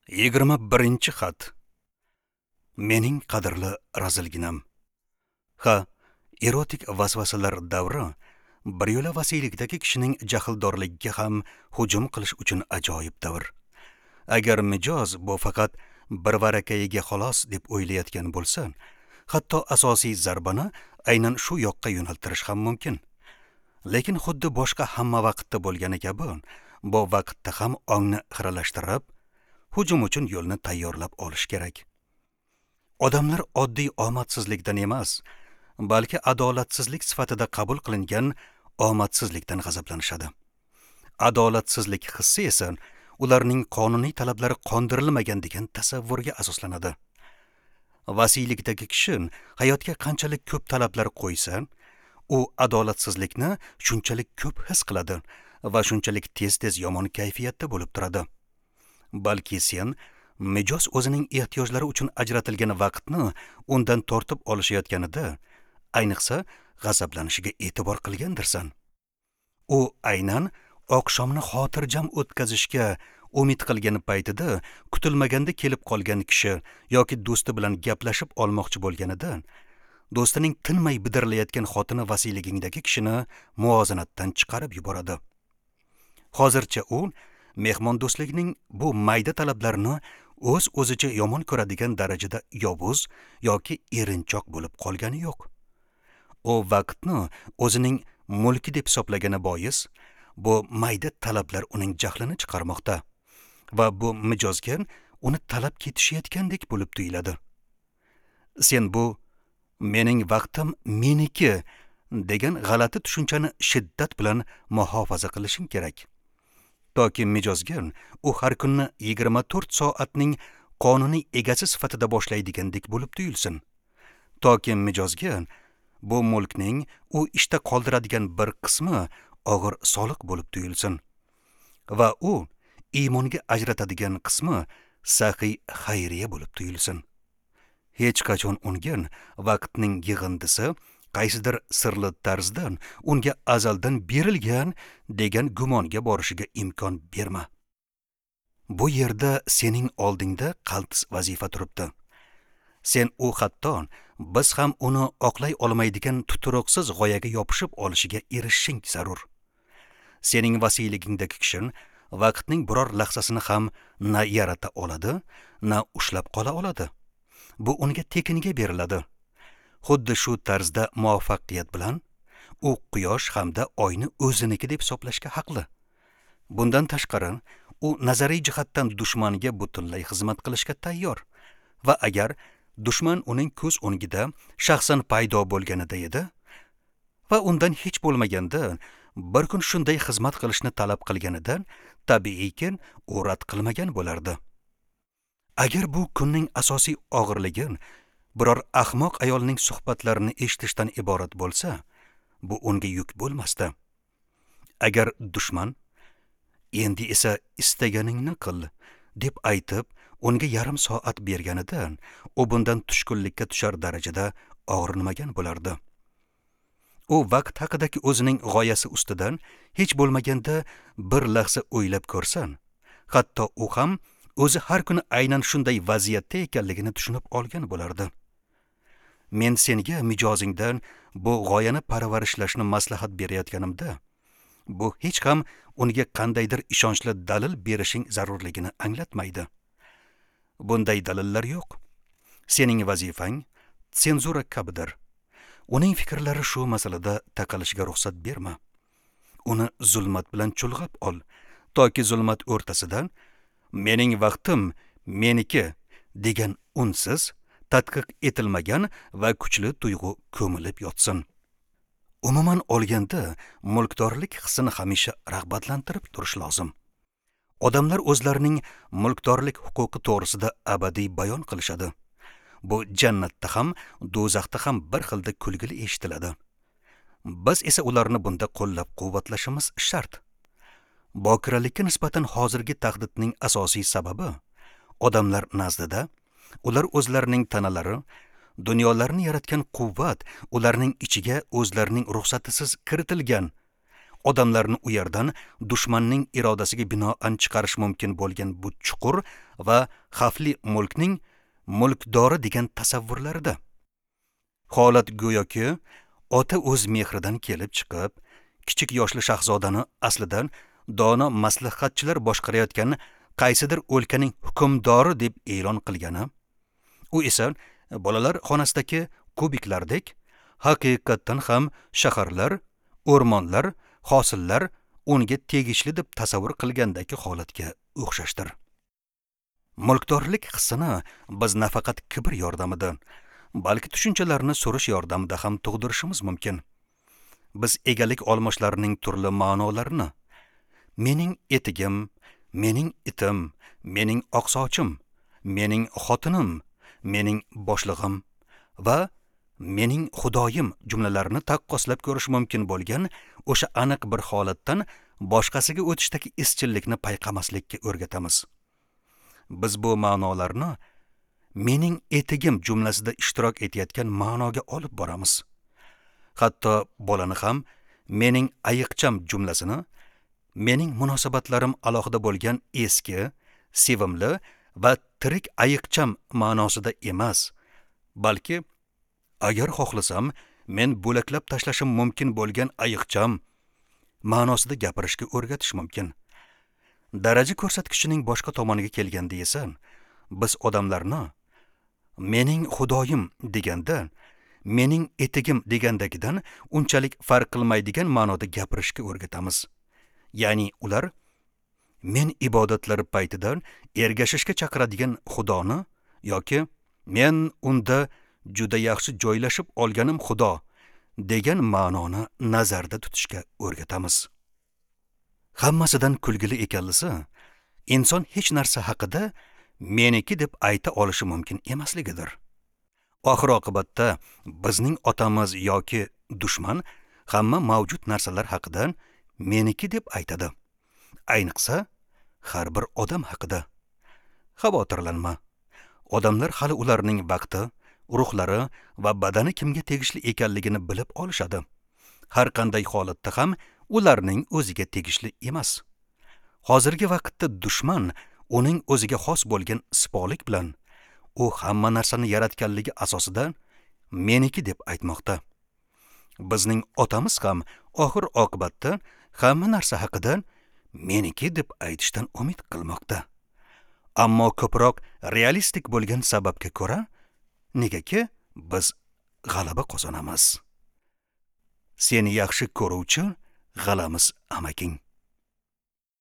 21-xat. Mening qadrli razilginam. Ha, erotik vasvasalar davri bir yo'la vasiylikdagi kishining jahldorligiga ham hujum qilish uchun ajoyib davr. Agar mijoz bu faqat bir varakayiga xolos deb o'ylayotgan bo'lsa, hatto asosiy zarbani aynan shu yoqqa yo'naltirish ham mumkin. Lekin xuddi boshqa hamma vaqtda bo'lgani kabi, bu vaqtda ham ongni xiralashtirib, hujum uchun yo'lni tayyorlab olish kerak. Odamlar oddiy omadsizlikdan emas, balki adolatsizlik sifatida qabul qilingan omadsizlikdan g'azablanishadi. Adolatsizlik hissi esa ularning qonuniy talablari qondirilmagan degan tasavvurga asoslanadi. Vasiylikdagi kishi hayotga qanchalik ko'p talablar qo'ysa, u adolatsizlikni shunchalik ko'p his qiladi va shunchalik tez-tez yomon kayfiyatda bo'lib turadi. Balki sen mijoz o'zining ehtiyojlari uchun ajratilgan vaqtni undan tortib olishayotganida, ayniqsa g'azablanishiga e'tibor qilgandirsan. U aynan oqshomni xotirjam o'tkazishga umid qilgan paytida kutilmaganda kelib qolgan kishi yoki do'sti bilan gaplashib olmoqchi bo'lganida, do'stining tinmay bidirlayotgan xotini vasiyligingdagi kishini muvozanatdan chiqarib yuboradi. Hozircha u mehmondo'stlikning bu mayda talablarini o'z-o'zicha yomon ko'radigan darajada yovuz yoki erinchoq bo'lib qolgani yo'q. U vaqtni o'zining mulki deb hisoblagani bois, bu mayda talablar uning jahlini chiqarmoqda va bu mijozga uni talab ketishayotgandek bo'lib tuyuladi. Sen bu mening vaqtim meniki degan g'alati tushunchani shiddat bilan muhofaza qilishing kerak. Toki mijozga u har kunni 24 soatning qonuniy egasi sifatida boshlaydigandek bo'lib tuyulsin. Toki mijozga bu mulkning u ishda qoldiradigan bir qismi og'ir soliq bo'lib tuyulsin va u iymonga ajratadigan qismi saxiy xayriya bo'lib tuyulsin. Hech qachon unga vaqtning yig'indisi qaysidir sirli tarzdan unga azaldan berilgan degan gumonga borishiga imkon berma. Bu yerda sening oldingda qaltis vazifa turibdi. Sen u hatto biz ham uni oqlay olmaydigan tuturuqsiz g'oyaga yopishib olishiga erishishing zarur. Sening vasiyligingdagi kishi vaqtning biror lahzasini ham na yarata oladi, na ushlab qola oladi. Bu unga tekinga beriladi. Xuddi shu tarzda muvaffaqiyat bilan u quyosh hamda oyni o'ziniki deb hisoblashga haqli. Bundan tashqari, u nazariy jihatdan dushmanga butunlay xizmat qilishga tayyor va agar dushman uning ko'z o'ngida shaxsan paydo bo'lganida edi va undan hech bo'lmaganda bir kun shunday xizmat qilishni talab qilganida, tabiiyki u rad qilmagan bo'lardi. Agar bu kunning asosiy og'irligi biror ahmoq ayolning suhbatlarini eshitishdan iborat bo'lsa, bu unga yuk bo'lmasdi. Agar dushman endi esa istaganingni qil deb aytib, unga yarim soat berganida, u bundan tushkunlikka tushar darajada og'rinmagan bo'lardi. U vaqt haqidagi o'zining g'oyasi ustidan hech bo'lmaganda bir lahza o'ylab ko'rsan, hatto u ham o'zi har kuni aynan shunday vaziyatda ekanligini tushunib olgan bo'lardi. Men senga mijozingdan bu g'oyani parvarishlashni maslahat berayotganimda, bu hech ham unga qandaydir ishonchli dalil berishing zarurligini anglatmaydi. Bunday dalillar yo'q. Sening vazifang senzura kabidir. Uning fikrlari shu masalada taqalishiga ruxsat berma. Uni zulmat bilan chulg'ab ol, toki zulmat o'rtasidan mening vaqtim meniki degan unsiz, tadqiq etilmagan va kuchli tuyg'u ko'milib yotsin. Umuman olganda, mulkdorlik hissini hamisha rag'batlantirib turish lozim. Odamlar o'zlarining mulkdorlik huquqi to'g'risida abadiy bayon qilishadi. Bu jannatda ham, do'zaxda ham bir xilda kulgili eshitiladi. Biz esa ularni bunda qo'llab-quvvatlashimiz shart. Bokiralikka nisbatan hozirgi tahdidning asosiy sababi odamlar nazdida ular o'zlarining tanalari, dunyolarni yaratgan quvvat ularning ichiga o'zlarining ruxsatisiz kiritilgan, Odamlarni u yerdan dushmanning irodasiga binoan chiqarish mumkin bo'lgan bu chuqur va xavfli mulkning mulkdori degan tasavvurlarida. Holat go'yoki ota o'z mehridan kelib chiqib, kichik yoshli shahzodani aslidan dono maslahatchilar boshqarayotgan qaysidir o'lkaning hukmdori deb e'lon qilgani, u esa bolalar xonasidagi kubiklardek haqiqatdan ham shaharlar, o'rmonlar, hosillar unga tegishli deb tasavvur qilgandagi holatga o'xshashdir. Mulkdorlik hissini biz nafaqat kibr yordamida, balki tushunchalarni surish yordamida ham tug'dirishimiz mumkin. Biz egalik olmoshlarining turli ma'nolarini mening etigim, mening itim, mening oqsochim, mening xotinim, mening boshlig'im va mening xudoyim jumlalarini taqqoslab ko'rish mumkin bo'lgan o'sha aniq bir holatdan boshqasiga o'tishdagi izchillikni payqamaslikka o'rgatamiz. Biz bu ma'nolarni mening etigim jumlasida ishtirok etayotgan ma'noga olib boramiz. Hatto bolani ham mening ayiqcham jumlasini mening munosabatlarim alohida bo'lgan eski, sevimli va tirik ayiqcham ma'nosida emas, balki agar xohlasam men bo'laklab tashlashim mumkin bo'lgan ayiqcham ma'nosida gapirishga o'rgatish mumkin. Daraja ko'rsatkichining boshqa tomoniga kelganda esa, biz odamlarni mening xudoyim deganda, mening etigim degandagidan unchalik farq qilmaydigan ma'noda gapirishga o'rgatamiz. Ya'ni ular men ibodatlar paytida ergashishga chaqiradigan xudoni yoki men unda juda yaxshi joylashib olganim xudo degan ma'noni nazarda tutishga o'rgatamiz. Hammasidan kulgili ekanlisi, inson hech narsa haqida meniki deb ayta olishi mumkin emasligidir. Oxir oqibatda bizning otamiz yoki dushman hamma mavjud narsalar haqida meniki deb aytadi. Ayniqsa har bir odam haqida. Xavotirlanma. Odamlar hali ularning vaqti, ruhlari va badani kimga tegishli ekanligini bilib olishadi. Har qanday holatda ham ularning o'ziga tegishli emas. Hozirgi vaqtda dushman uning o'ziga xos bo'lgan sipolik bilan u hamma narsani yaratganligi asosida meniki deb aytmoqda. Bizning otamiz ham oxir oqibatda hamma narsa haqida meniki deb aytishdan umid qilmoqda. Ammo ko'proq realistik bo'lgan sababga ko'ra, negaki biz g'alaba qozonamiz. Seni yaxshi ko'ruvchi g'alamiz amaking.